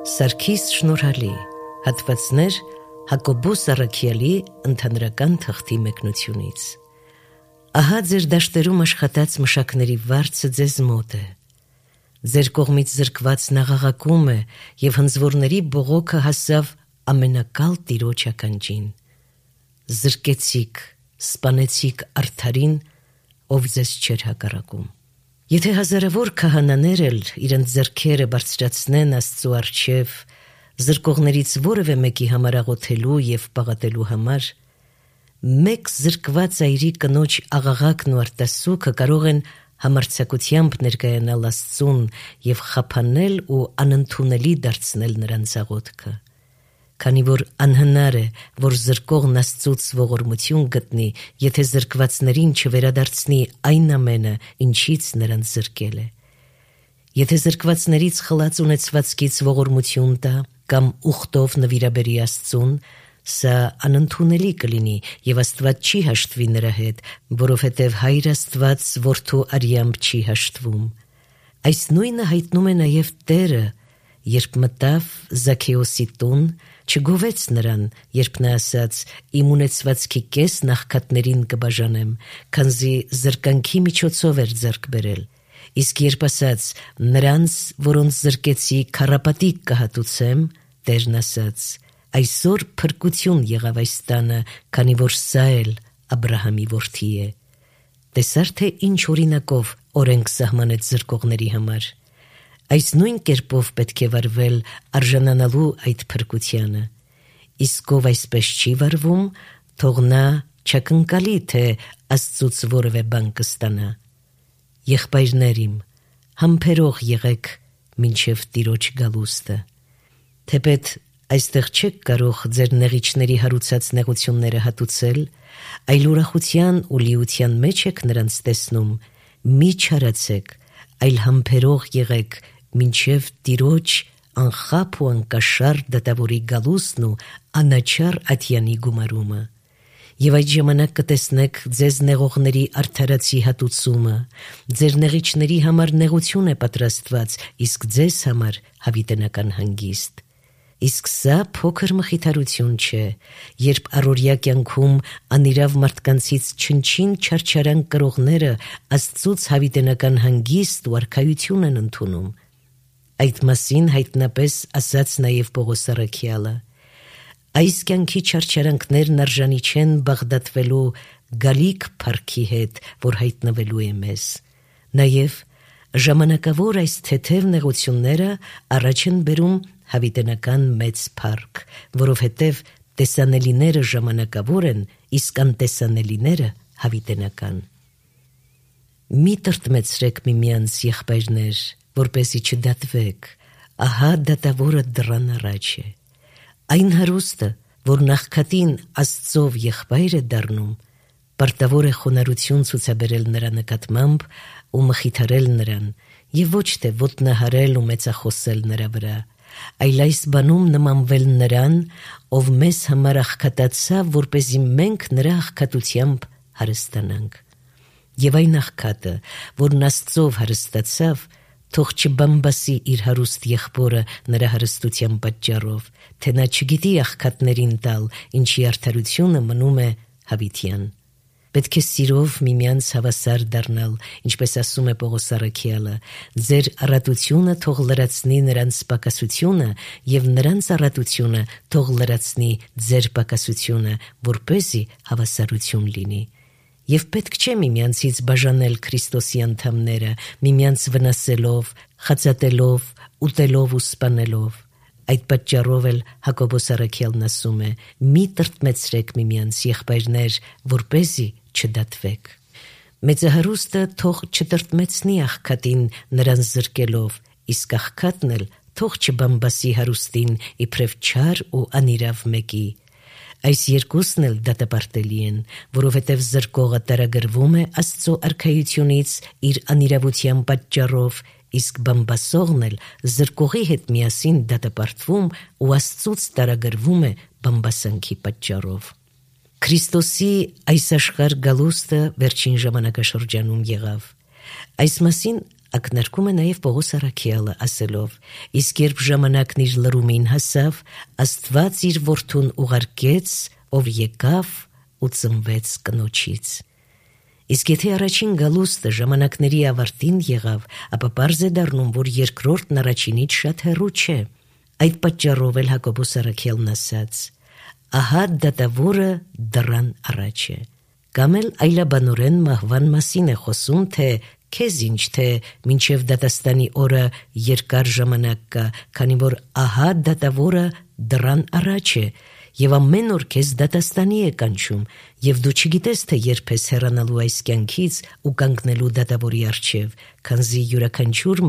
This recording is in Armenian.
Սարգիս Շնորհալի, հատվածներ Հակոբոս Առաքյալի ընդհանրական թղթի մեկնությունից։ Ահա ձեր դաշտերում աշխատած մշակների վարձը ձեզ մոտ է։ Ձեր կողմից զրկված նաղաղակում է, և հնձվորների բողոքը հասավ ամենակալ Տիրոջ ականջին։ Զրկեցիք, սպանեցիք արդարին, ով ձեզ չէր հակառակում։ Եթե հազարավոր քահանաներ էլ իրենց ձեռքերը բարձրացնեն Աստծու առջև, զրկողներից որևէ մեկի համար աղոթելու և պաղատելու համար, մեկ զրկված այրի կնոջ աղաղակն ու արտասուքը կարող են համարձակությամբ ներկայանալ Աստծուն և խափանել ու անընդունելի դարձնել նրանց աղոթքը, քանի որ անհնար է, որ զրկողն Աստծուց ողորմություն գտնի, եթե զրկվածներին չվերադարձնի այն ամենը, ինչից նրանց զրկել է։ Եթե զրկվածներից խլած ունեցվածքից ողորմություն տա կամ ուխտով նվիրաբերի Աստծուն, սա անընդունելի կլինի և Աստված չի հաշտվի նրա հետ, որովհետև Հայր Աստված որդու արյամբ չի հաշտվում։ Այս նույնը հայտնում է նաև Տերը, երբ մտավ Զաքեոսի տուն, չգովեց նրան, երբ նա ասաց. «Իմ ունեցվածքի կեսն աղքատներին կբաժանեմ», քանզի զրկանքի միջոցով էր ձեռք բերել։ Իսկ երբ ասաց. «Նրանց, որոնց զրկեցի, քառապատիկ կհատուցեմ», Տերն ասաց. «Այսօր փրկություն եղավ այս տանը, քանի որ սա էլ Աբրահամի որդի է»։ Տեսա՞ր, թե ինչ օրինակով օրենք սահմանեց զրկողների համար։ Այս նույն կերպով պետք է վարվել արժանանալու այդ փրկությանը։ Իսկ ով այսպես չի վարվում, թող նա չակնկալի, թե Աստծուց որևէ բան կստանա։ Եղբայրներ իմ, համբերող եղեք մինչև Տիրոջ գալուստը։ Թեպետ այստեղ չեք կարող ձեր նեղիչների հարուցած նեղությունները հատուցել, այլ ուրախության ու լիության մեջ եք նրանց տեսնում, մի չարացեք, այլ համբերող եղեք մինչև Տիրոջ անխափ ու անկաշար դատավորի գալուստն ու անաչառ ատյանի գումարումը։ Եվ այդ ժամանակ կտեսնեք ձեզ նեղողների արդարացի հատուցումը, ձեր նեղիչների համար նեղություն է պատրաստված, իսկ ձեզ համար հավիտենական հանգիստ։ Իսկ սա փոքր մխիթարություն չէ, երբ առօրյա կյանքում անիրավ մարդկանցից չնչին չարչարանք կրողները Աստծուց հավիտենական հանգիստ ու արքայություն են ընդունում։ Այդ մասին հայտնապես ասաց նաև Պողոս առաքյալը. «Այս կյանքի չարչարանքներն արժանի չեն բաղդատվելու գալիք փառքի հետ, որ հայտնվելու է մեզ»։ Նաև ժամանակավոր այս թեթև նեղությունները առաջ են բերում հավիտենական մեծ փառք, որովհետև տեսանելիները ժամանակավոր են, իսկ անտեսանելիները հավիտենական։ Մի տրտմեցրեք միմյանց, եղբայրներ, որպեսզի չդատվեք, ահա դատավորը դռան առաջ է։ Այն հարուստը, որ նախքատին Աստծով եղբայր է դառնում, պարտավոր է խոնարհություն ցուցաբերել նրա նկատմամբ ու մխիթարել նրան, և ոչ թե ոտնահարել ու մեծախոսել նրա վրա, այլ այս բանում նմանվել նրան, ով մեզ համար աղքատացավ, որպեսզի մենք նրա աղքատությամբ հարստանանք։ Եվ այն աղքատը, որն Աստծով հարստացավ, թող չբամբասի իր հարուստ եղբորը նրա հարստության պատճառով, թե նա չգիտի աղքատներին տալ, ինչի արդարությունը մնում է հավիտյան։ Պետք է սիրով միմյանց հավասար դառնալ, ինչպես ասում է Պողոս առաքյալը. «Ձեր առատությունը թող լրացնի նրանց պակասությունը, և նրանց առատությունը թող լրացնի ձեր պակասությունը, որպեսզի հավասարություն լինի»։ Եվ պետք չէ միմյանցից բաժանել Քրիստոսի անդամները, միմյանց վնասելով, խածատելով, ուտելով ու սպանելով։ Այդ պատճառով էլ Հակոբոս առաքյալն ասում է. «Մի տրտմեցրեք միմյանց, եղբայրներ, որպեսզի չդատվեք»։ Մեծահարուստը թող չտրտմեցնի աղքատին նրան զրկելով, իսկ աղքատն էլ թող չբամբասի հարուստին իբրև չար ու անիրավ մեկի։ Այս երկուսն էլ դատապարտելի են, որովհետև զրկողը տարագրվում է Աստծո արքայությունից իր անիրավության պատճառով, իսկ բամբասողն էլ զրկողի հետ միասին դատապարտվում ու Աստծուց տարագրվում է բամբասանքի պատճառով։ Քրիստոսի այս աշխարհ գալուստը վերջին ժամանակաշրջանում եղավ։ Այս մասին ակնարկում է նաև Պողոս առաքյալը ասելով. իսկ երբ ժամանակն իր լրումին հասավ, Աստված իր որդուն ուղարկեց, ով եկավ ու ծնվեց կնոջից։ Իսկ եթե առաջին գալուստը ժամանակների ավարտին եղավ, ապա պարզ է դառնում, որ երկրորդն առաջինից շատ հեռու չէ։ Այդ պատճառով էլ Հակոբոս առաքյալն ասաց. ահա դատավորը դռան առաջ է։ Կամ էլ այլաբանորեն մահվան մասին է խոսում, թե քեզ ինչ, թե մինչև դատաստանի օրը երկար ժամանակ կա, քանի որ ահա դատավորը դռան առաջ է, եւ ամեն օր քեզ դատաստանի է կանչում, եւ դու չգիտես, թե երբ ես հեռանալու այս կյանքից ու կանգնելու դատավորի առջև, քանզի յուրաքանչյուր